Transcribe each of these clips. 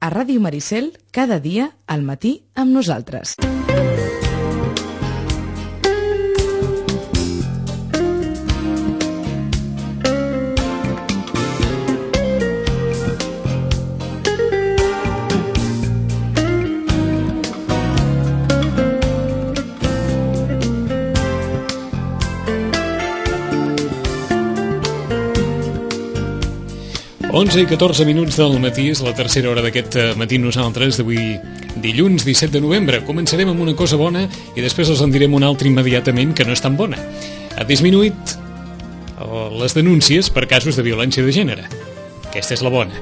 a Ràdio Maricel, cada dia al matí amb nosaltres. Onze i 14 minuts del matí, és la tercera hora d'aquest matí nosaltres, d'avui dilluns 17 de novembre. Començarem amb una cosa bona i després els en direm una altra immediatament que no és tan bona. Ha disminuït les denúncies per casos de violència de gènere. Aquesta és la bona.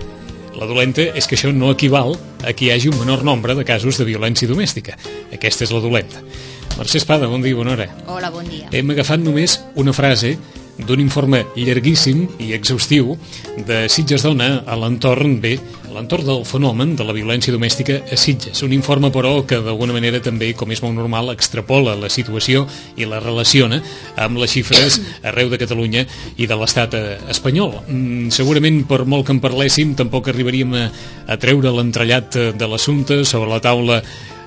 La dolenta és que això no equival a que hi hagi un menor nombre de casos de violència domèstica. Aquesta és la dolenta. Mercè Espada, bon dia, bona hora. Hola, bon dia. Hem agafat només una frase d'un informe llarguíssim i exhaustiu de Sitges Dona a l'entorn del fenomen de la violència domèstica a Sitges. Un informe, però, que d'alguna manera també, com és molt normal, extrapola la situació i la relaciona amb les xifres arreu de Catalunya i de l'estat espanyol. Segurament, per molt que en parléssim, tampoc arribaríem a treure l'entrellat de l'assumpte sobre la taula.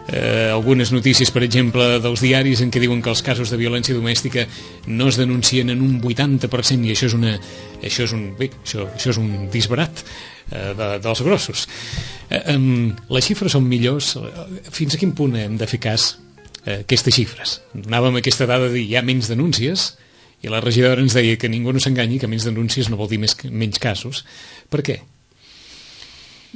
Algunes notícies, per exemple, dels diaris en què diuen que els casos de violència domèstica no es denuncien en un 80% i això és un disbarat dels grossos. Les xifres són millors. Fins a quin punt hem de fer cas aquestes xifres? Donàvem aquesta dada de dir hi ha menys denúncies i la regidora ens deia que ningú no s'enganyi, que menys denúncies no vol dir menys casos. Per què?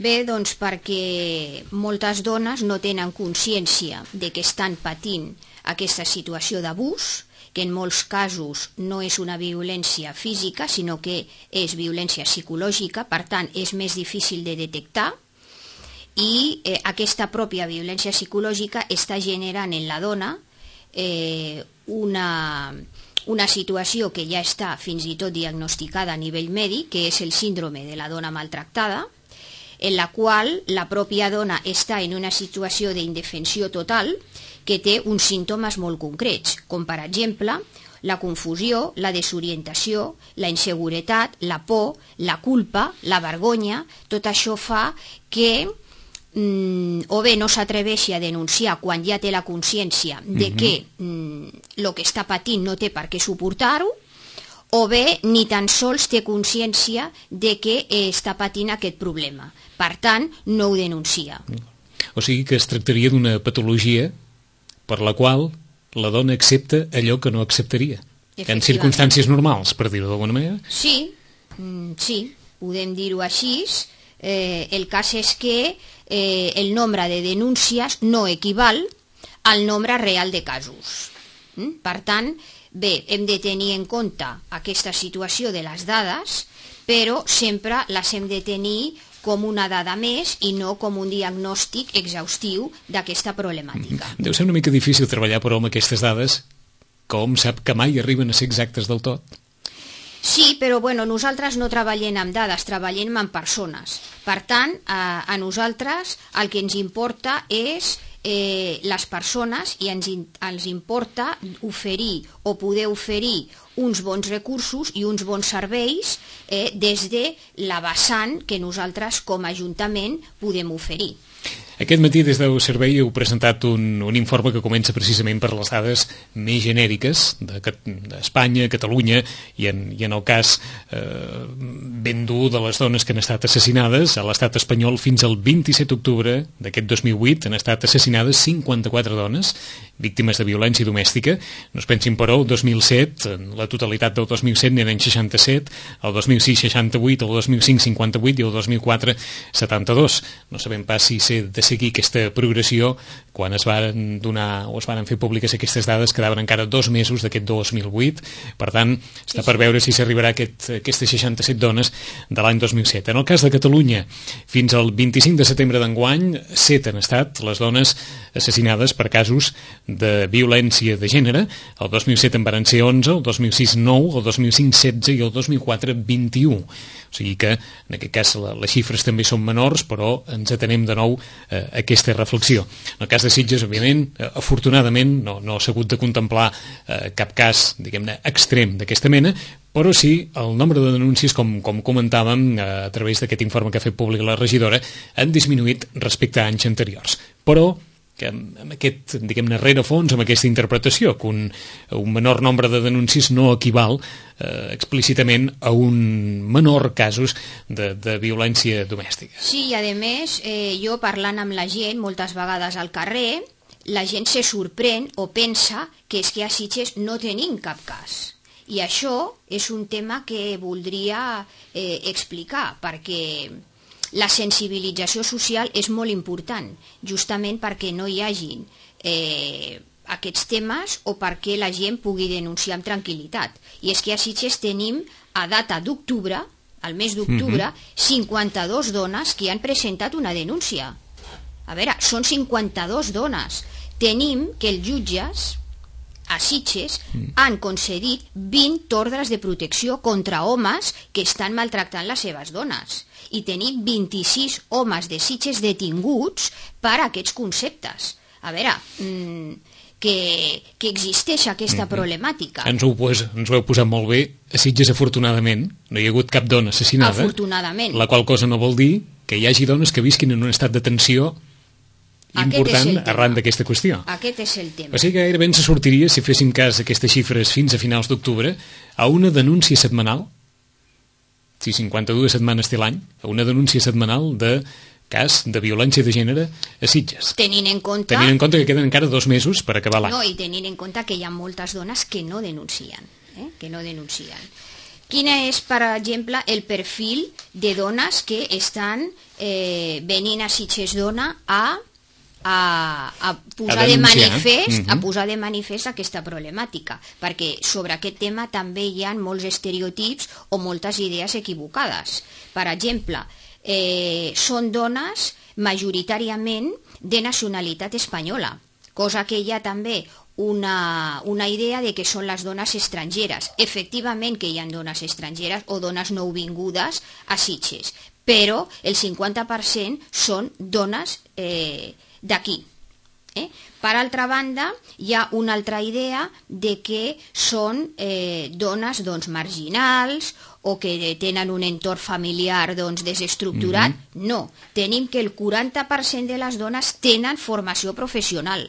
Bé, doncs perquè moltes dones no tenen consciència de que estan patint aquesta situació d'abús, que en molts casos no és una violència física, sinó que és violència psicològica, per tant és més difícil de detectar, i aquesta pròpia violència psicològica està generant en la dona una situació que ja està fins i tot diagnosticada a nivell mèdic, que és el síndrome de la dona maltractada, en la qual la pròpia dona està en una situació d'indefensió total que té uns símptomes molt concrets, com per exemple la confusió, la desorientació, la inseguretat, la por, la culpa, la vergonya. Tot això fa que o bé no s'atreveixi a denunciar quan ja té la consciència de que el que està patint no té per què suportar-ho, o bé ni tan sols té consciència de que està patint aquest problema. Per tant, no ho denuncia. O sigui que es tractaria d'una patologia per la qual la dona accepta allò que no acceptaria. En circumstàncies normals, per dir-ho d'alguna manera? Sí, podem dir-ho així. El cas és que el nombre de denúncies no equival al nombre real de casos. Per tant, bé, hem de tenir en compte aquesta situació de les dades, però sempre les hem de tenir com una dada més i no com un diagnòstic exhaustiu d'aquesta problemàtica. Deu ser una mica difícil treballar, però, amb aquestes dades, com sap que mai arriben a ser exactes del tot. Sí, però nosaltres no treballem amb dades, treballem amb persones. Per tant, a nosaltres el que ens importa és les persones i ens importa oferir o poder oferir uns bons recursos i uns bons serveis des de la vessant que nosaltres com a Ajuntament podem oferir. Aquest matí des del servei heu presentat un informe que comença precisament per les dades més genèriques d'Espanya, Catalunya i en el cas ben dur de les dones que han estat assassinades a l'estat espanyol. Fins al 27 d'octubre d'aquest 2008 han estat assassinades 54 dones víctimes de violència domèstica. No es pensin, però, el 2007, en la totalitat del 2007 n'eren 67, el 2006 68, el 2005 58 i el 2004 72. No sabem pas si s'ha de seguir aquesta progressió. Quan es van donar o es van fer públiques aquestes dades quedaven encara 2 mesos d'aquest 2008. Per tant, està per veure si s'arribarà a aquestes 67 dones de l'any 2007. En el cas de Catalunya, fins al 25 de setembre d'enguany, 7 han estat les dones assassinades per casos de violència de gènere. El 2007 en van ser 11, el 2006 9, el 2005 16 i el 2004 21. O sigui que en aquest cas les xifres també són menors, però ens atenem de nou aquesta reflexió. En el cas de Sitges, òbviament, afortunadament, no s'ha hagut de contemplar cap cas, diguem-ne, extrem d'aquesta mena, però sí el nombre de denúncies, com comentàvem a través d'aquest informe que ha fet públic la regidora, han disminuït respecte a anys anteriors. Però que amb aquest, diguem-ne, rerefons, amb aquesta interpretació, que un menor nombre de denúncies no equival explícitament a un menor casos de violència domèstica. Sí, i a més, jo parlant amb la gent, moltes vegades al carrer, la gent se sorprèn o pensa que és que a Sitges no tenim cap cas. I això és un tema que voldria explicar, perquè la sensibilització social és molt important, justament perquè no hi hagin aquests temes o perquè la gent pugui denunciar amb tranquil·litat. I és que a Sitges tenim, a data d'octubre, al mes d'octubre, 52 dones que han presentat una denúncia. A veure, són 52 dones. Tenim que els jutges a Sitges han concedit 20 ordres de protecció contra homes que estan maltractant les seves dones. I tenim 26 homes de Sitges detinguts per aquests conceptes. A veure, que existeix aquesta problemàtica. Ens ho heu posat molt bé. A Sitges, afortunadament, no hi ha hagut cap dona assassinada. Afortunadament. La qual cosa no vol dir que hi hagi dones que visquin en un estat de tensió important arran d'aquesta qüestió. Aquest és el tema. O sigui que gairebé ens sortiria, si féssim cas d'aquestes xifres fins a finals d'octubre, a una denúncia setmanal, si 52 setmanes té l'any, a una denúncia setmanal de cas de violència de gènere a Sitges. Tenint en compte que queden encara 2 mesos per acabar l'any. No, i tenint en compte que hi ha moltes dones que no denuncien. Quin és, per exemple, el perfil de dones que estan venint a Sitges Dona a posar de manifest aquesta problemàtica, perquè sobre aquest tema també hi ha molts estereotips o moltes idees equivocades. Per exemple, són dones majoritàriament de nacionalitat espanyola, cosa que hi ha també una idea de que són les dones estrangeres. Efectivament que hi ha dones estrangeres o dones nouvingudes a Sitges, però el 50% són dones d'aquí. Per altra banda, hi ha una altra idea de que són dones marginals o que tenen un entorn familiar desestructurat. No, tenim que el 40% de les dones tenen formació professional,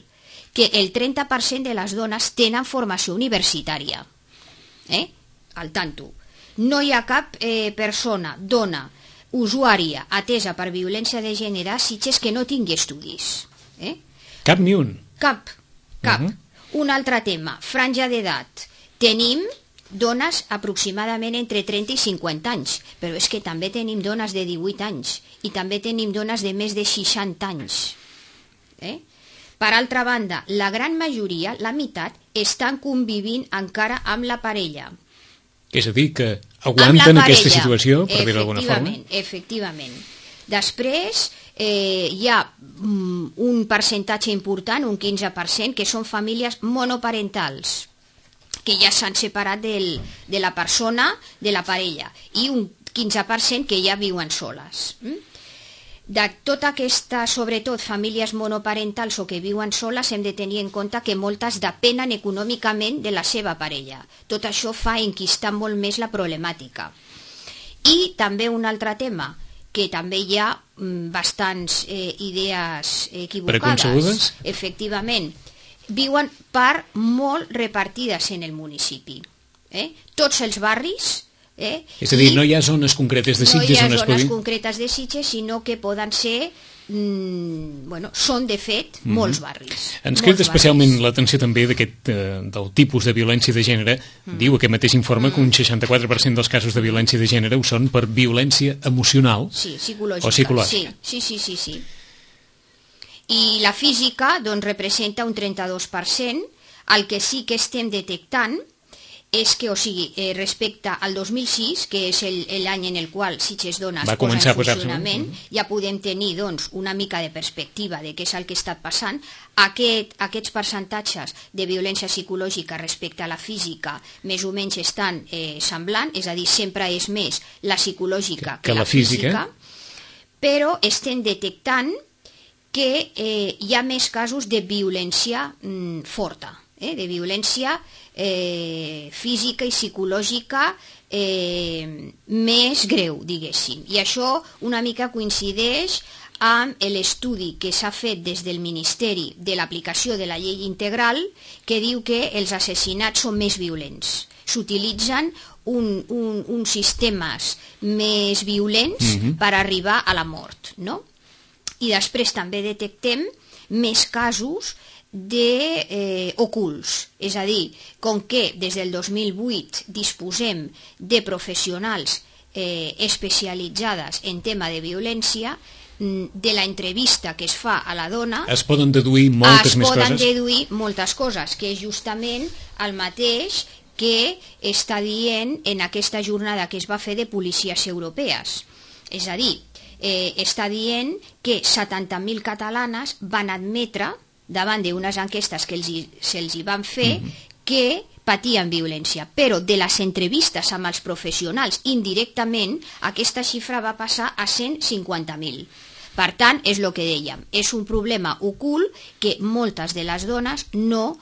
que el 30% de les dones tenen formació universitària. Al tanto. No hi ha cap persona, dona, usuària atesa per violència de gènere a Sitges que no tingui estudis. Cap ni un? Cap. Un altre tema, franja d'edat. Tenim dones aproximadament entre 30 i 50 anys, però és que també tenim dones de 18 anys i també tenim dones de més de 60 anys. Per altra banda, la gran majoria, la meitat, estan convivint encara amb la parella. És a dir, que aguanten aquesta situació, per dir-ho d'alguna forma? Efectivament. Després hi ha un percentatge important, un 15%, que són famílies monoparentals, que ja s'han separat de la persona, de la parella, i un 15% que ja viuen soles. De tota aquesta, sobretot, famílies monoparentals o que viuen soles, hem de tenir en compte que moltes depenen econòmicament de la seva parella. Tot això fa enquistar molt més la problemàtica. I també un altre tema, que també hi ha bastants idees equivocades. Preconcebudes? Efectivament. Viuen per molt repartides en el municipi. Tots els barris. És a dir, no hi ha zones concretes de Sitges on es No hi ha zones concretes de Sitges, sinó que poden ser, són de fet molts barris. Ens crida especialment l'atenció també del tipus de violència de gènere. Diu aquest mateix informe que un 64% dels casos de violència de gènere ho són per violència emocional o psicològica. Sí. I la física representa un 32%. El que sí que estem detectant és que, respecte al 2006, que és l'any en el qual Sitges Dona es posa en funcionament, ja podem tenir una mica de perspectiva de què és el que està passant. Aquests percentatges de violència psicològica respecte a la física més o menys estan semblant, és a dir, sempre és més la psicològica que la física, però estem detectant que hi ha més casos de violència forta, de violència física i psicològica més greu, diguéssim. I això una mica coincideix amb l'estudi que s'ha fet des del Ministeri de l'aplicació de la llei integral, que diu que els assassinats són més violents. S'utilitzen uns sistemes més violents per arribar a la mort, no? I després també detectem més casos ocults, és a dir, com que des del 2008 disposem de professionals especialitzades en tema de violència, de la entrevista que es fa a la dona es poden deduir moltes més coses. Es poden deduir moltes coses, que és justament el mateix que està dient en aquesta jornada que es va fer de policies europees. És a dir, està dient que 70.000 catalanes van admetre, davant d'unes enquestes que se'ls hi van fer, que patien violència, però de les entrevistes amb els professionals indirectament aquesta xifra va passar a 150.000. Per tant, és el que dèiem, és un problema ocult que moltes de les dones no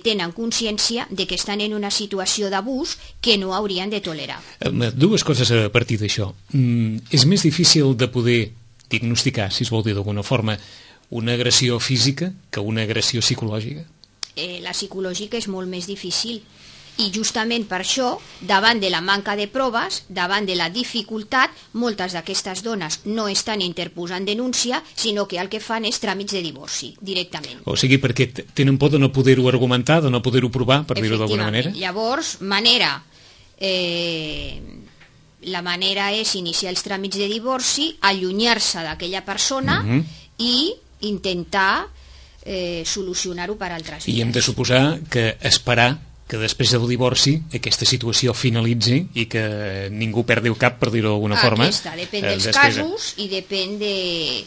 tenen consciència de que estan en una situació d'abús que no haurien de tolerar. Dues coses a partir d'això. És més difícil de poder diagnosticar, si es vol dir d'alguna forma, una agressió física que una agressió psicològica? La psicològica és molt més difícil. I justament per això, davant de la manca de proves, davant de la dificultat, moltes d'aquestes dones no estan interposant denúncia, sinó que el que fan és tràmits de divorci, directament. O sigui, perquè tenen por de no poder-ho argumentar, de no poder-ho provar, per dir-ho d'alguna manera? Llavors, la manera és iniciar els tràmits de divorci, allunyar-se d'aquella persona i intentar solucionar-ho per altres vies. I hem de suposar que esperar que després del divorci aquesta situació finalitzi i que ningú perdi el cap, per dir-ho d'alguna forma. Depèn dels casos i depèn de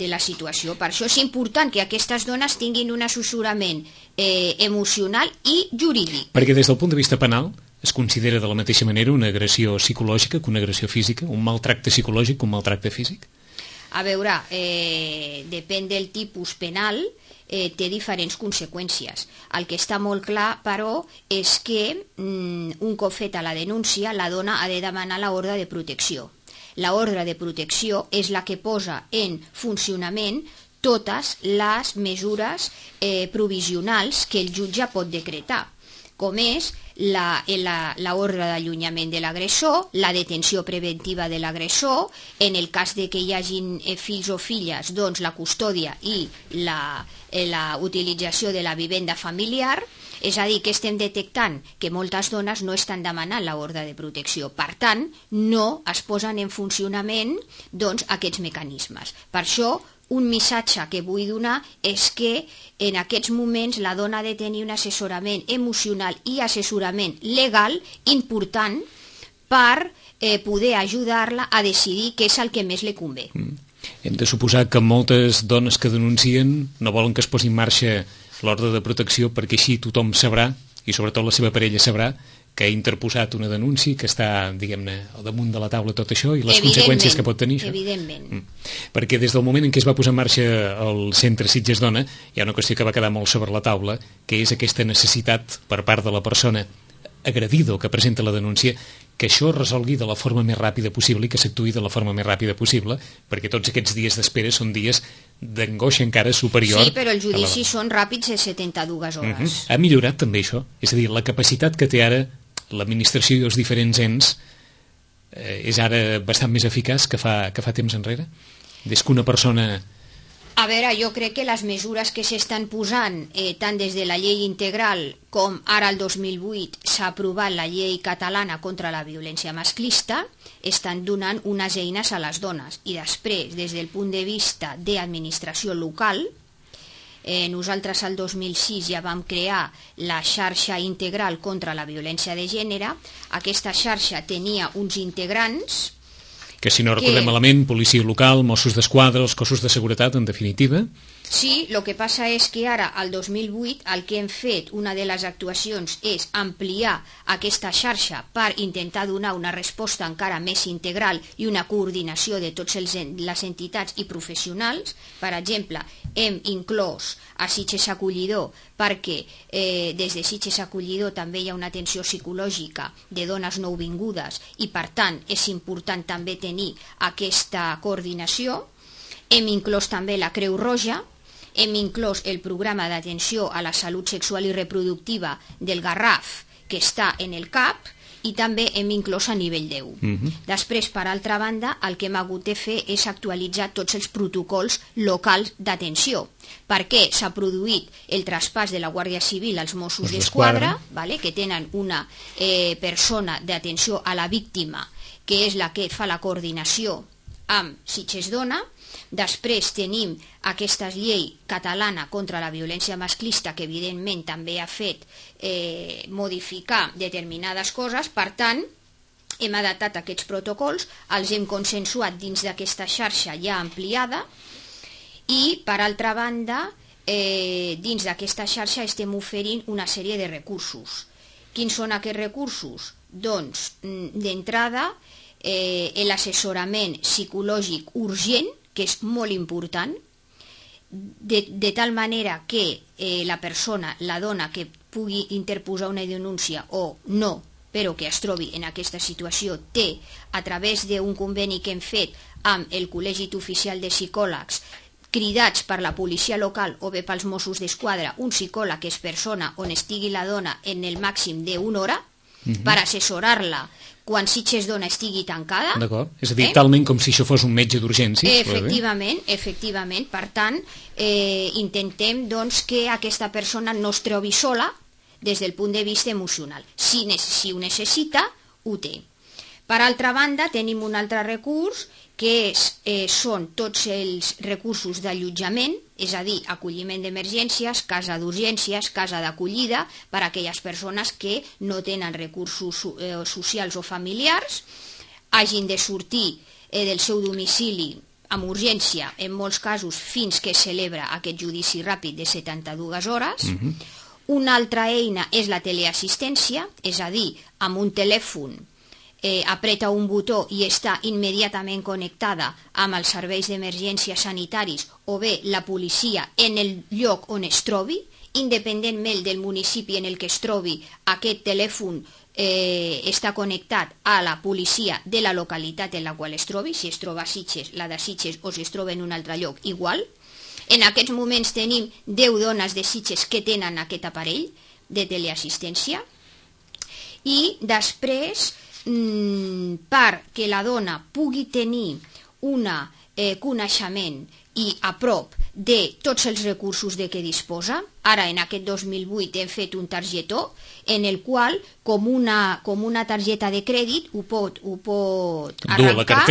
la situació. Per això és important que aquestes dones tinguin un assessorament emocional i jurídic. Perquè des del punt de vista penal es considera de la mateixa manera una agressió psicològica que una agressió física, un maltracte psicològic que un maltracte físic? A veure, depèn del tipus penal, té diferents conseqüències. El que està molt clar, però, és que un cop feta la denúncia, la dona ha de demanar l'ordre de protecció. L'ordre de protecció és la que posa en funcionament totes les mesures provisionals que el jutge pot decretar, com és l'ordre d'allunyament de l'agressor, la detenció preventiva de l'agressor, en el cas de que hi hagin fills o filles, doncs la custòdia i la utilització de la vivenda familiar. És a dir, que estem detectant que moltes dones no estan demanant l'ordre de protecció. Per tant, no es posen en funcionament aquests mecanismes. Per això, un missatge que vull donar és que en aquests moments la dona ha de tenir un assessorament emocional i assessorament legal important per poder ajudar-la a decidir què és el que més li convé. Hem de suposar que moltes dones que denuncien no volen que es posi en marxa l'ordre de protecció perquè així tothom sabrà, i sobretot la seva parella sabrà, que ha interposat una denúncia, que està, diguem-ne, al damunt de la taula tot això i les conseqüències que pot tenir això. Evidentment. Perquè des del moment en què es va posar en marxa el centre Sitges Dona hi ha una qüestió que va quedar molt sobre la taula, que és aquesta necessitat per part de la persona agredida o que presenta la denúncia que això es resolgui de la forma més ràpida possible i que s'actuï de la forma més ràpida possible, perquè tots aquests dies d'espera són dies d'angoixa encara superior. Sí, però els judicis són ràpids de 72 hores. Ha millorat també això? És a dir, la capacitat que té ara l'administració i els diferents ens és ara bastant més eficaç que fa temps enrere? Des que una persona... A veure, jo crec que les mesures que s'estan posant, tant des de la llei integral com ara el 2008 s'ha aprovat la llei catalana contra la violència masclista, estan donant unes eines a les dones. I després, des del punt de vista d'administració local, nosaltres el 2006 ja vam crear la xarxa integral contra la violència de gènere. Aquesta xarxa tenia uns integrants que si no recordem malament, policia local, Mossos d'Esquadra, els cossos de seguretat, en definitiva. Sí, el que passa és que ara, al 2008, el que hem fet, una de les actuacions, és ampliar aquesta xarxa per intentar donar una resposta encara més integral i una coordinació de totes les entitats i professionals. Per exemple, hem inclòs a Sitges Acollidor perquè des de Sitges Acollidor també hi ha una atenció psicològica de dones nouvingudes i, per tant, és important també tenir aquesta coordinació. Hem inclòs també la Creu Roja, hem inclòs el programa d'atenció a la salut sexual i reproductiva del Garraf, que està en el CAP, i també hem inclòs a nivell 10. Després, per altra banda, el que hem hagut de fer és actualitzar tots els protocols locals d'atenció, perquè s'ha produït el traspàs de la Guàrdia Civil als Mossos d'Esquadra, que tenen una persona d'atenció a la víctima, que és la que fa la coordinació amb Sitges Dona. Després tenim aquesta llei catalana contra la violència masclista, que evidentment també ha fet modificar determinades coses. Per tant, hem adaptat aquests protocols, els hem consensuat dins d'aquesta xarxa ja ampliada, i per altra banda, dins d'aquesta xarxa estem oferint una sèrie de recursos. Quins són aquests recursos? Doncs, d'entrada, l'assessorament psicològic urgent, que és molt important, de tal manera que la persona, la dona que pugui interposar una denúncia o no, però que es trobi en aquesta situació, té, a través d'un conveni que hem fet amb el Col·legi Oficial de Psicòlegs, cridats per la policia local o bé pels Mossos d'Esquadra, un psicòleg que és persona on estigui la dona en el màxim d'una hora, per assessorar-la quan Sitges Dona estigui tancada. D'acord, és a dir, talment com si això fos un metge d'urgències. Efectivament. Per tant, intentem que aquesta persona no es trobi sola des del punt de vista emocional. Si ho necessita, ho té. Per altra banda, tenim un altre recurs que són tots els recursos d'allotjament, és a dir, acolliment d'emergències, casa d'urgències, casa d'acollida, per a aquelles persones que no tenen recursos socials o familiars, hagin de sortir del seu domicili amb urgència, en molts casos, fins que es celebra aquest judici ràpid de 72 hores. Una altra eina és la teleassistència, és a dir, amb un telèfon apreta un botó i està immediatament connectada amb els serveis d'emergències sanitaris o bé la policia en el lloc on es trobi, independentment del municipi en el que es trobi. Aquest telèfon està connectat a la policia de la localitat en la qual es trobi, si es troba a Sitges, la de Sitges, o si es troba en un altre lloc, igual. En aquests moments tenim 10 dones de Sitges que tenen aquest aparell de teleassistència, i després, perquè la dona pugui tenir un coneixement i a prop de tots els recursos de què disposa. Ara, en aquest 2008, hem fet un targetó en el qual, com una targeta de crèdit, ho pot arrencar,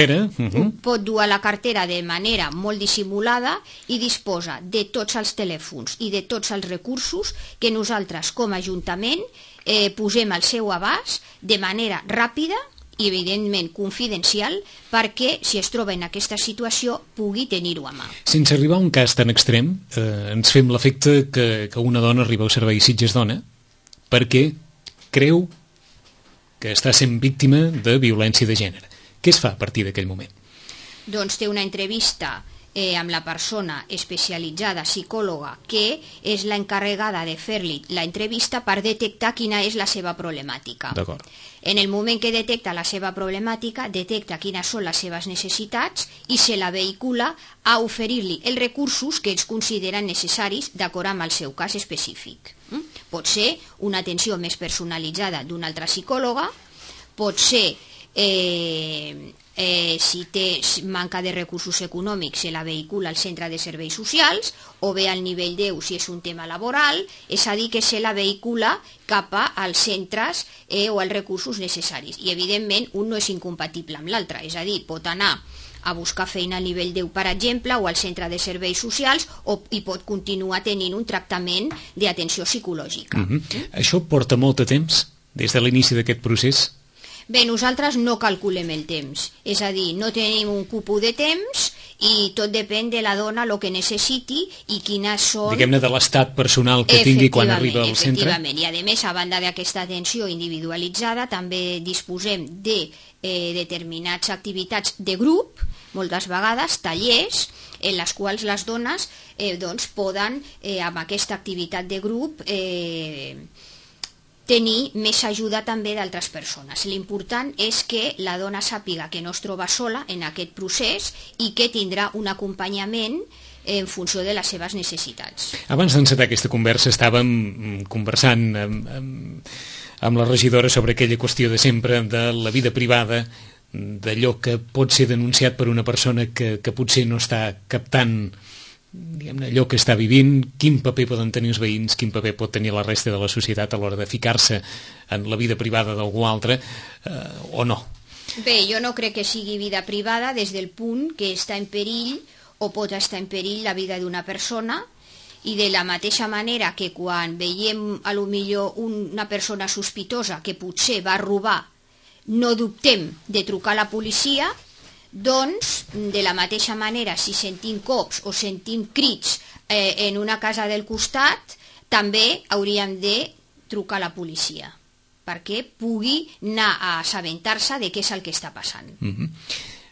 pot dur a la cartera de manera molt dissimulada i disposa de tots els telèfons i de tots els recursos que nosaltres, com a Ajuntament, posem al seu abast de manera ràpida i evidentment confidencial, perquè si es troba en aquesta situació pugui tenir-ho a mà. Sense arribar a un cas tan extrem, ens fem l'efecte que una dona arriba al servei Sitges Dona perquè creu que està sent víctima de violència de gènere. Què es fa a partir d'aquell moment? Doncs té una entrevista amb la persona especialitzada, psicòloga, que és l'encarregada de fer-li l'entrevista per detectar quina és la seva problemàtica. D'acord. En el moment que detecta la seva problemàtica, detecta quines són les seves necessitats i se la vehicula a oferir-li els recursos que ells consideren necessaris d'acord amb el seu cas específic. Pot ser una atenció més personalitzada d'una altra psicòloga, pot ser si té manca de recursos econòmics se la vehicula al centre de serveis socials o bé al nivell 10 si és un tema laboral, és a dir, que se la vehicula cap als centres o als recursos necessaris. I evidentment un no és incompatible amb l'altre, és a dir, pot anar a buscar feina al nivell 10, per exemple, o al centre de serveis socials, i pot continuar tenint un tractament d'atenció psicològica. Això porta molt de temps, des de l'inici d'aquest procés? Bé, nosaltres no calculem el temps, és a dir, no tenim un cupó de temps i tot depèn de la dona el que necessiti i quines són... Diguem-ne de l'estat personal que tingui quan arriba al centre. Efectivament, i a més, a banda d'aquesta atenció individualitzada, també disposem de determinades activitats de grup, moltes vegades tallers, en les quals les dones poden, amb aquesta activitat de grup, tenir més ajuda també d'altres persones. L'important és que la dona sàpiga que no es troba sola en aquest procés i que tindrà un acompanyament en funció de les seves necessitats. Abans d'encetar aquesta conversa estàvem conversant amb la regidora sobre aquella qüestió de sempre de la vida privada, d'allò que pot ser denunciat per una persona que potser no està captant, diguem-ne, allò que està vivint, quin paper poden tenir els veïns, quin paper pot tenir la resta de la societat a l'hora de ficar-se en la vida privada d'algú altre, o no. Bé, jo no crec que sigui vida privada des del punt que està en perill o pot estar en perill la vida d'una persona, i de la mateixa manera que quan veiem a lo millor una persona sospitosa que potser va robar, no dubtem de trucar a la policia, doncs, de la mateixa manera, si sentim cops o sentim crits en una casa del costat, també hauríem de trucar a la policia, perquè pugui anar a assabentar-se de què és el que està passant.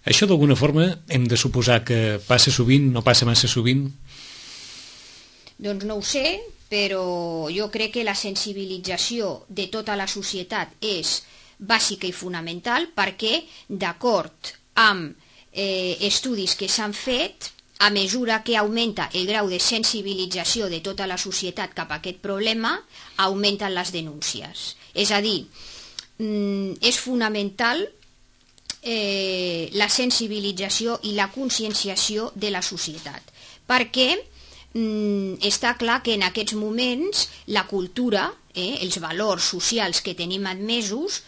Això d'alguna forma hem de suposar que passa sovint, no passa massa sovint? Doncs no ho sé, però jo crec que la sensibilització de tota la societat és bàsica i fonamental, perquè, d'acord amb estudis que s'han fet, a mesura que augmenta el grau de sensibilització de tota la societat cap a aquest problema, augmenten les denúncies. És a dir, és fonamental la sensibilització i la conscienciació de la societat, perquè està clar que en aquests moments la cultura, els valors socials que tenim admesos,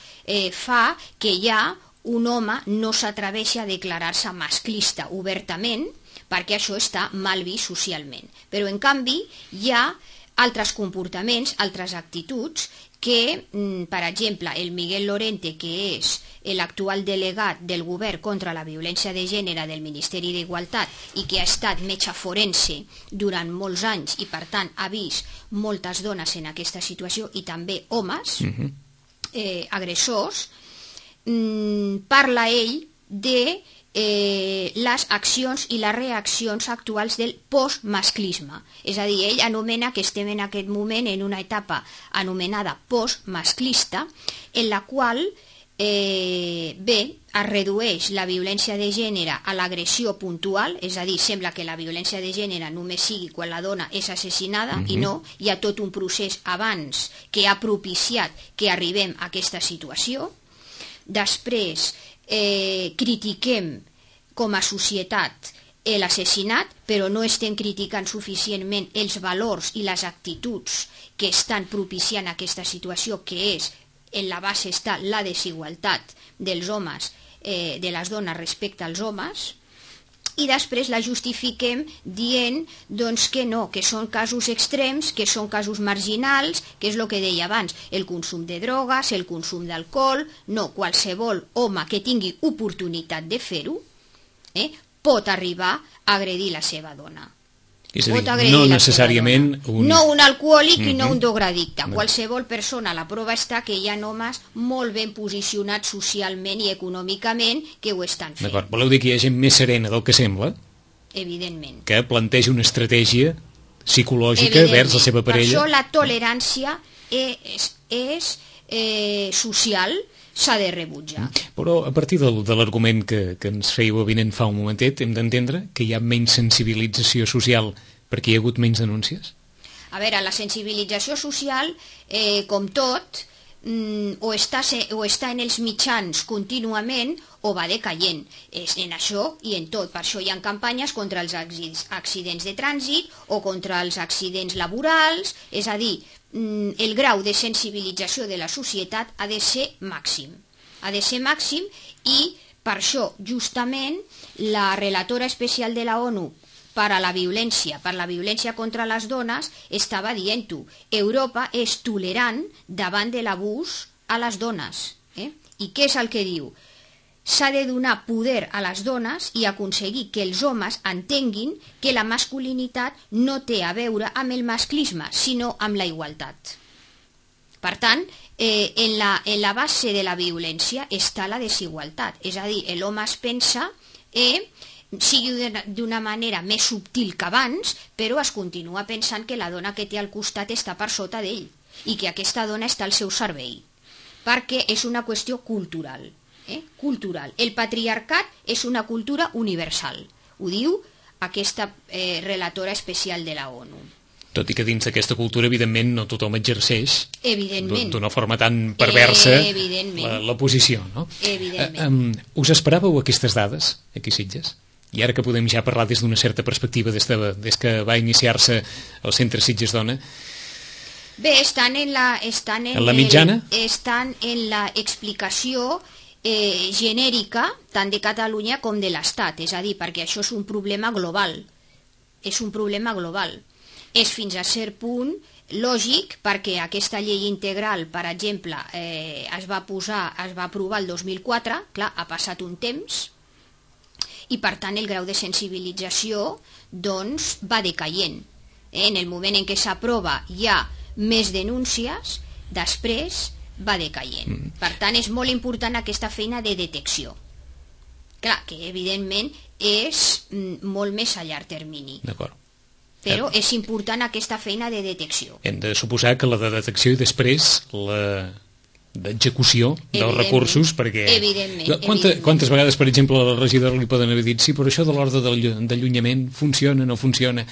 fa que ja un home no s'atreveixi a declarar-se masclista obertament, perquè això està mal vist socialment. Però en canvi hi ha altres comportaments, altres actituds que, per exemple, el Miguel Lorente, que és l'actual delegat del govern contra la violència de gènere del Ministeri d'Igualtat i que ha estat metge forense durant molts anys i, per tant, ha vist moltes dones en aquesta situació i també homes agressors, parla ell de les accions i les reaccions actuals del postmasclisme. És a dir, ell anomena que estem en aquest moment en una etapa anomenada postmasclista, en la qual es redueix la violència de gènere a l'agressió puntual, és a dir, sembla que la violència de gènere només sigui quan la dona és assassinada, i no, hi ha tot un procés abans que ha propiciat que arribem a aquesta situació. Després critiquem com a societat l'assassinat, però no estem criticant suficientment els valors i les actituds que estan propiciant aquesta situació, que és, en la base està la desigualtat dels homes, de les dones respecte als homes, i després la justifiquem dient doncs, que no, que són casos extrems, que són casos marginals, que és el que deia abans, el consum de drogues, el consum d'alcohol. No, qualsevol home que tingui oportunitat de fer-ho pot arribar a agredir la seva dona. És a dir, no necessàriament no un alcohòlic i no un drogadicte. Qualsevol persona, la prova està que hi ha homes molt ben posicionats socialment i econòmicament que ho estan fent. D'acord, voleu dir que hi ha gent més serena del que sembla? Evidentment. Que planteja una estratègia psicològica vers la seva parella? Per això la tolerància és social, s'ha de rebutjar. Però a partir de l'argument que ens fèieu avinent fa un momentet, hem d'entendre que hi ha menys sensibilització social perquè hi ha hagut menys denúncies? A veure, la sensibilització social, com tot, o està en els mitjans contínuament o va decaient. És en això i en tot. Per això hi ha campanyes contra els accidents de trànsit o contra els accidents laborals. És a dir, el grau de sensibilització de la societat ha de ser màxim. Ha de ser màxim i per això, justament, la relatora especial de la ONU per la violència contra les dones, estava dient-ho. Europa és tolerant davant de l'abús a les dones. I què és el que diu? s'ha de donar poder a les dones i aconseguir que els homes entenguin que la masculinitat no té a veure amb el masclisme, sinó amb la igualtat. Per tant, en la base de la violència està la desigualtat, és a dir, l'home es pensa, sigui d'una manera més subtil que abans, però es continua pensant que la dona que té al costat està per sota d'ell i que aquesta dona està al seu servei, perquè és una qüestió cultural. Cultural. El patriarcat és una cultura universal, ho diu aquesta relatora especial de la ONU. Tot i que dins d'aquesta cultura, evidentment, no tothom exerceix d'una forma tan perversa la posició, no? Evidentment. Us esperàveu aquestes dades, aquí a Sitges? I ara que podem ja parlar des d'una certa perspectiva, des que va iniciar-se el Centre Sitges Dona... Bé, estan en la mitjana? Estan en la explicació genèrica tant de Catalunya com de l'Estat, és a dir, perquè això és un problema global. És un problema global. És fins a cert punt lògic perquè aquesta llei integral, per exemple, es va aprovar el 2004, clar, ha passat un temps, i per tant el grau de sensibilització doncs va decaient. En el moment en què s'aprova hi ha més denúncies, després va decaient. Per tant, és molt important aquesta feina de detecció. Clar, que evidentment és molt més a llarg termini. D'acord. Però és important aquesta feina de detecció. Hem de suposar que la de detecció i després la d'execució dels recursos, perquè... Quantes vegades, per exemple, a la regidora li poden haver dit sí, però això de l'ordre d'allunyament funciona, no funciona?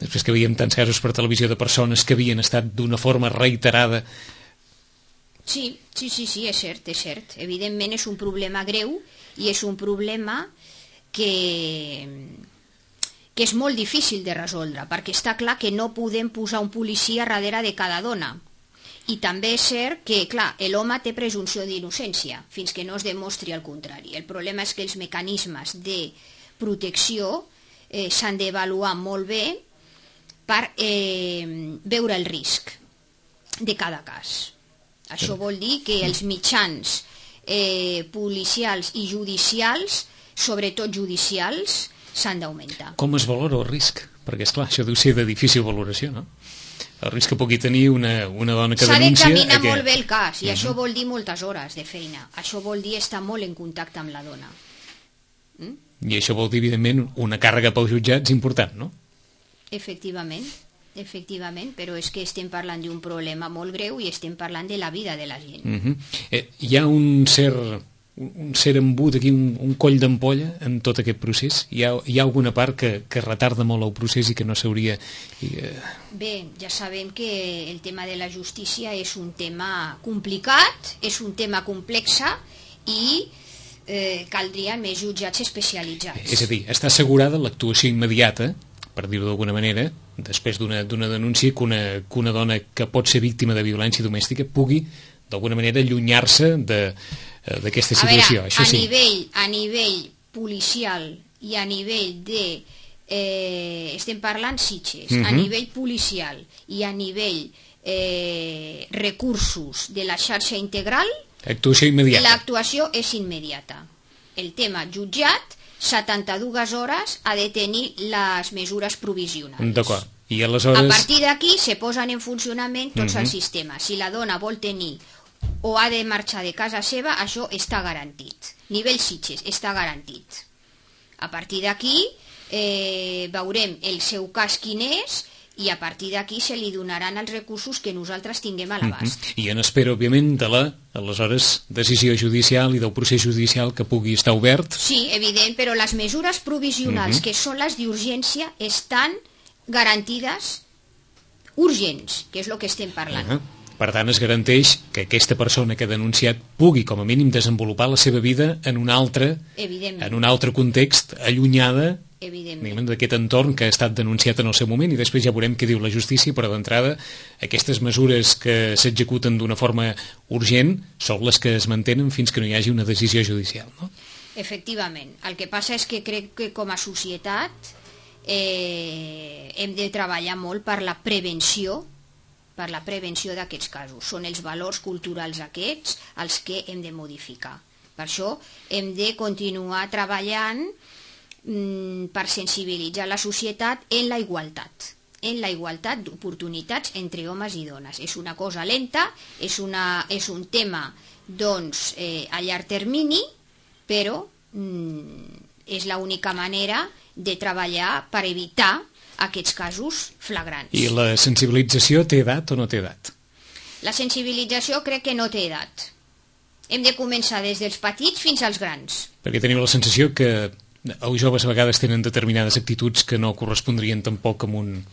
Després que veiem tants casos per televisió de persones que havien estat d'una forma reiterada. Sí, és cert. Evidentment és un problema greu i és un problema que és molt difícil de resoldre, perquè està clar que no podem posar un policia darrere de cada dona. I també és cert que, clar, l'home té presumpció d'innocència, fins que no es demostri el contrari. El problema és que els mecanismes de protecció s'han d'avaluar molt bé per veure el risc de cada cas. Això vol dir que els mitjans policials i judicials, sobretot judicials, s'han d'augmentar. Com es valora el risc? Perquè, esclar, això deu ser de difícil valoració, no? El risc que pugui tenir una dona que denuncia... S'ha d'examinar molt bé el cas, i això vol dir moltes hores de feina. Això vol dir estar molt en contacte amb la dona. I això vol dir, evidentment, una càrrega pels jutjats important, no? Efectivament, però és que estem parlant d'un problema molt greu i estem parlant de la vida de la gent. Hi ha un cert embut aquí, un coll d'ampolla en tot aquest procés? Hi ha alguna part que retarda molt el procés i que no s'hauria... Bé, ja sabem que el tema de la justícia és un tema complicat, és un tema complex i caldrien més jutjats especialitzats. És a dir, està assegurada l'actuació immediata, per dir-ho d'alguna manera, després d'una denúncia, que una dona que pot ser víctima de violència domèstica pugui, d'alguna manera, allunyar-se d'aquesta situació. A veure, a nivell policial i a nivell de... estem parlant Sitges, a nivell policial i a nivell recursos de la xarxa integral, actuació immediata. L'actuació és immediata. El tema jutjat, 72 hores ha de tenir les mesures provisionals. D'acord. I aleshores... A partir d'aquí se posen en funcionament tots els sistemes. Si la dona vol tenir o ha de marxar de casa seva, això està garantit. Nivell Sitges està garantit. A partir d'aquí veurem el seu cas quin és i a partir d'aquí se li donaran els recursos que nosaltres tinguem a l'abast. I en espera, òbviament, de la, aleshores, decisió judicial i del procés judicial que pugui estar obert. Sí, evident, però les mesures provisionals, que són les d'urgència, estan garantides urgents, que és el que estem parlant. Per tant, es garanteix que aquesta persona que ha denunciat pugui, com a mínim, desenvolupar la seva vida en un altre context, allunyada d'aquest entorn que ha estat denunciat en el seu moment, i després ja veurem què diu la justícia, però d'entrada aquestes mesures que s'executen d'una forma urgent són les que es mantenen fins que no hi hagi una decisió judicial, no? Efectivament. El que passa és que crec que com a societat hem de treballar molt per la prevenció d'aquests casos. Són els valors culturals aquests els que hem de modificar, Per això hem de continuar treballant per sensibilitzar la societat en la igualtat d'oportunitats entre homes i dones. És una cosa lenta, és un tema doncs, a llarg termini, però és l'única manera de treballar per evitar aquests casos flagrants. I la sensibilització té edat o no té edat? La sensibilització crec que no té edat. Hem de començar des dels petits fins als grans. Perquè teniu la sensació que els joves a vegades tenen determinades actituds que no correspondrien tampoc amb un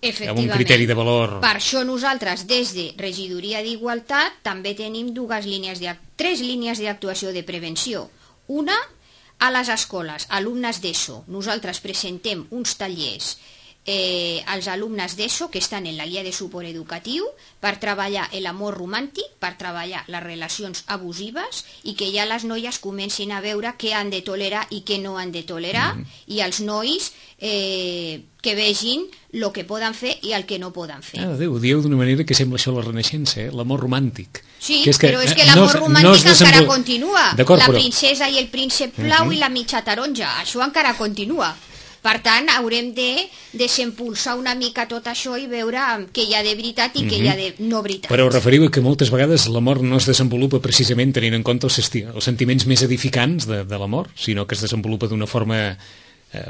criteri de valor. Per això nosaltres, des de Regidoria d'Igualtat, també tenim tres línies d'actuació de prevenció. Una, a les escoles, alumnes d'ESO. Nosaltres presentem uns tallers als alumnes d'ESO que estan en la guia de suport educatiu per treballar l'amor romàntic, per treballar les relacions abusives i que ja les noies comencin a veure què han de tolerar i què no han de tolerar i els nois que vegin el que poden fer i el que no poden fer. Déu, ho dieu d'una manera que sembla això la Renaixença, l'amor romàtic. Sí, però és que l'amor romàntic encara continua. La princesa i el príncep blau i la mitja taronja, això encara continua. Per tant, haurem de desempolsar una mica tot això i veure què hi ha de veritat i què hi ha de no veritat. Però us referiu que moltes vegades l'amor no es desenvolupa precisament tenint en compte els sentiments més edificants de l'amor, sinó que es desenvolupa d'una forma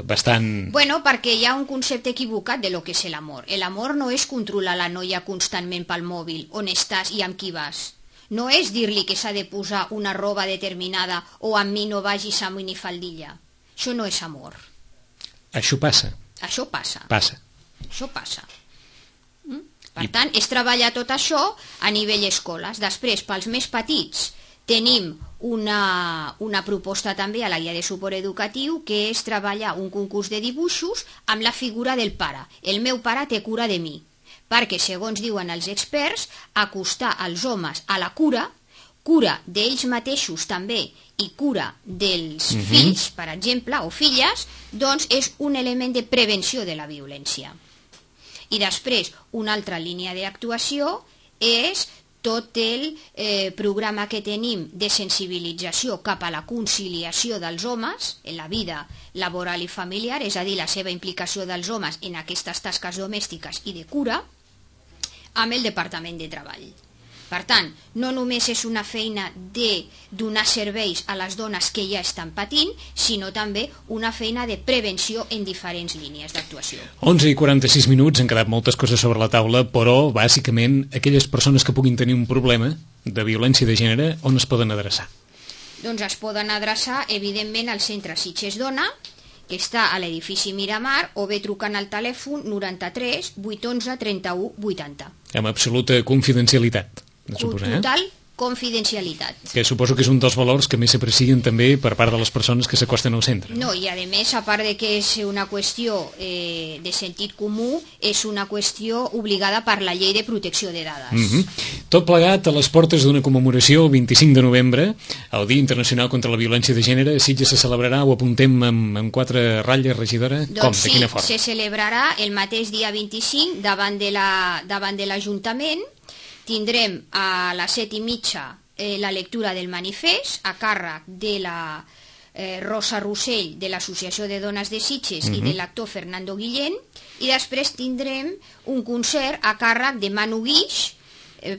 bastant... Bueno, perquè hi ha un concepte equivocat de lo que és l'amor. L'amor no és controlar la noia constantment pel mòbil, on estàs i amb qui vas. No és dir-li que s'ha de posar una roba determinada o amb mi no vagis amb minifaldilla. Això no és amor. Això passa. Això passa. Això passa. Per tant, és treballar tot això a nivell escoles. Després, pels més petits, tenim una proposta també a la guia de suport educatiu que és treballar un concurs de dibuixos amb la figura del pare. El meu pare té cura de mi. Perquè, segons diuen els experts, acostar els homes a la cura d'ells mateixos també i cura dels fills, per exemple, o filles, doncs és un element de prevenció de la violència. I després, una altra línia d'actuació és tot el programa que tenim de sensibilització cap a la conciliació dels homes en la vida laboral i familiar, és a dir, la seva implicació dels homes en aquestes tasques domèstiques i de cura, amb el Departament de Treball. Per tant, no només és una feina de donar serveis a les dones que ja estan patint, sinó també una feina de prevenció en diferents línies d'actuació. 11:46 minuts, han quedat moltes coses sobre la taula, però bàsicament aquelles persones que puguin tenir un problema de violència de gènere, on es poden adreçar? Doncs es poden adreçar, evidentment, al centre Sitges Dona, que està a l'edifici Miramar, o bé trucant al telèfon 93 811 31 80. Amb absoluta confidencialitat. Total confidencialitat. Que suposo que és un dels valors que més s'aprecien també per part de les persones que s'acosten al centre. No, i a més, a part de que és una qüestió de sentit comú, és una qüestió obligada per la llei de protecció de dades. Tot plegat a les portes d'una commemoració el 25 de novembre, el Dia Internacional contra la Violència de Gènere. A Sitges se celebrarà, ho apuntem amb 4 ratlles, regidora? Doncs sí, se celebrarà el mateix dia 25 davant de l'Ajuntament. Tindrem a les 7:30 la lectura del manifest a càrrec de la Rosa Rossell de l'Associació de Dones de Sitges i de l'actor Fernando Guillén, i després tindrem un concert a càrrec de Manu Guix,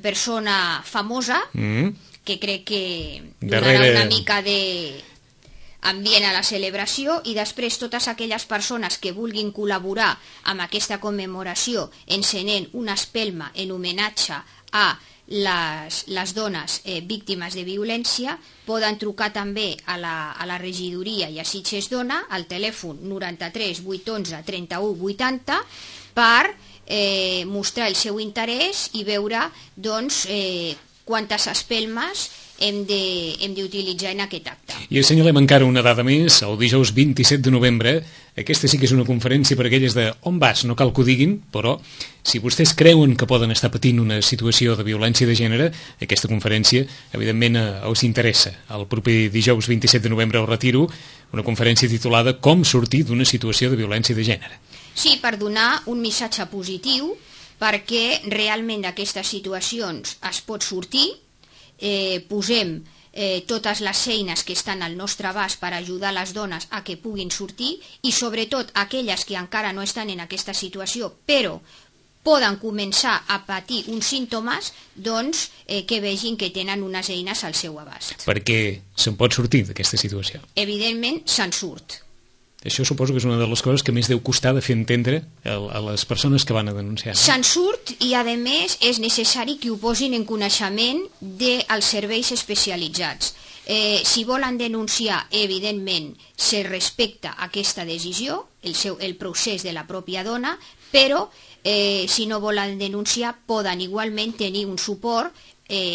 persona famosa, que crec que donarà una mica d'ambient a la celebració, i després totes aquelles persones que vulguin col·laborar amb aquesta commemoració encenent una espelma en homenatge a les dones víctimes de violència poden trucar també a la regidoria i a Sitges Dona al telèfon 93 811 31 80 per mostrar el seu interès i veure doncs, quantes espelmes hem d'utilitzar en aquest acte. I assenyalem encara una dada més, el dijous 27 de novembre. Aquesta sí que és una conferència per aquelles de on vas, no cal que ho diguin, però si vostès creuen que poden estar patint una situació de violència de gènere, aquesta conferència evidentment us interessa. El proper dijous 27 de novembre al Retiro, una conferència titulada Com sortir d'una situació de violència de gènere. Sí, per donar un missatge positiu, perquè realment d'aquestes situacions es pot sortir. Posem totes les eines que estan al nostre abast per ajudar les dones a que puguin sortir, i sobretot aquelles que encara no estan en aquesta situació però poden començar a patir uns símptomes, doncs que vegin que tenen unes eines al seu abast. Perquè se'n pot sortir d'aquesta situació? Evidentment se'n surt. Això suposo que és una de les coses que més deu costar de fer entendre a les persones que van a denunciar. Se'n surt, i a més és necessari que ho posin en coneixement dels serveis especialitzats. Si volen denunciar, evidentment se respecta aquesta decisió, el procés de la pròpia dona, però si no volen denunciar poden igualment tenir un suport,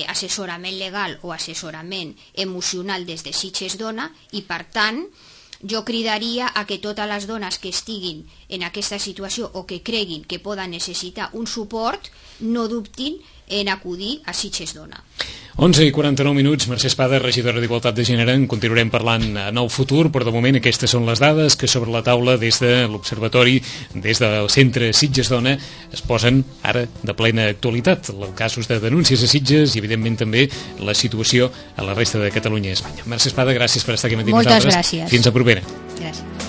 assessorament legal o assessorament emocional des de Sitges Dona, i per tant jo cridaria a que totes les dones que estiguin en aquesta situació o que creguin que poden necessitar un suport no dubtin en acudir a Sitges Dona. 11:49, Mercè Espada, regidora d'Igualtat de Gènere. En continuarem parlant en el futur, però de moment aquestes són les dades que sobre la taula des de l'Observatori, des del Centre Sitges Dona, es posen ara de plena actualitat. Els casos de denúncies a Sitges i evidentment també la situació a la resta de Catalunya i Espanya. Mercè Espada, gràcies per estar aquí amb nosaltres. Moltes gràcies. Fins a propera. Gràcies.